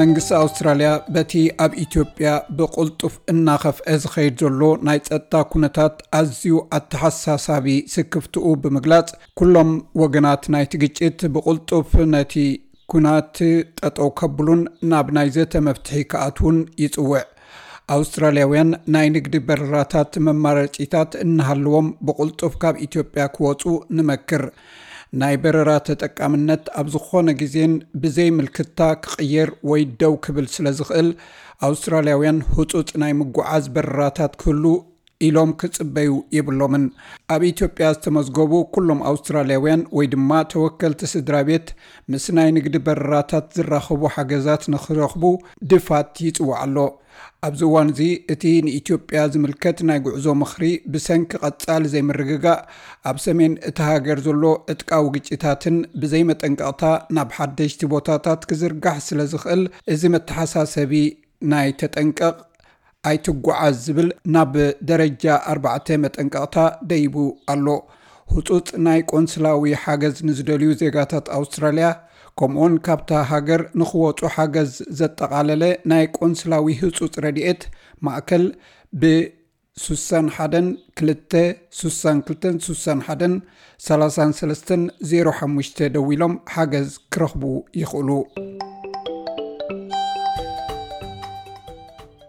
መንግስቲ ኣውስትራልያ በቲ ኣብ ኢትዮጵያ ብቕልጡፍ እናኸፍአ ዝኸይድ ዘሎ ናይ ጸጥታ ኩነታት ኣዝዩ ኣተሓሳሳቢ ስክፍትኡ ብምግላጽ፣ ኩሎም ወገናት ናይቲ ግጭት ብቕልጡፍ ነቲ ኩናት ጠጠው ከብሉን ናብ ናይ ዘተ መፍትሒ ክኣትዉን ይጽውዕ። ኣውስትራልያውያን ናይ ንግዲ በረራታት መማረጺታት እናሃለዎም ብቕልጡፍ ካብ ኢትዮጵያ ክወጹ ንመክር። ናይ በረራ ተጠቃምነት ኣብ ዝኾነ ግዜን ብዘይ ምልክታ ክቕየር ወይ ደው ክብል ስለ ዝኽእል፣ ኣውስትራልያውያን ህጹጽ ናይ ምጉዓዝ በረራታት ክህሉ ኢሎም ክጽበዩ የብሎምን። ኣብ ኢትዮጵያ ዝተመዝገቡ ኩሎም ኣውስትራልያውያን ወይ ድማ ተወከልቲ ስድራ ቤት ምስ ናይ ንግዲ በረራታት ዝራኸቡ ሓገዛት ንኽረኽቡ ድፋት ይጽዋዕ ኣሎ። ኣብዚ እዋን እዚ እቲ ንኢትዮጵያ ዝምልከት ናይ ጉዕዞ ምኽሪ ብሰንኪ ቀጻሊ ዘይምርግጋእ ኣብ ሰሜን እቲ ሃገር ዘሎ ዕጥቃዊ ግጭታትን ብዘይመጠንቀቕታ ናብ ሓደሽቲ ቦታታት ክዝርጋሕ ስለ ዝኽእል፣ እዚ መተሓሳሰቢ ናይ ተጠንቀቕ ኣይትጓዓዝ ዝብል ናብ ደረጃ ኣርባዕተ መጠንቀቕታ ደይቡ ኣሎ። ህጹጽ ናይ ቆንስላዊ ሓገዝ ንዝደልዩ ዜጋታት ኣውስትራልያ፣ ከምኡውን ካብታ ሃገር ንኽወጹ ሓገዝ ዘጠቓለለ ናይ ቆንስላዊ ህጹጽ ረድኤት ማእከል ብ61-2-62-31-35 ደዊሎም ሓገዝ ክረኽቡ ይኽእሉ።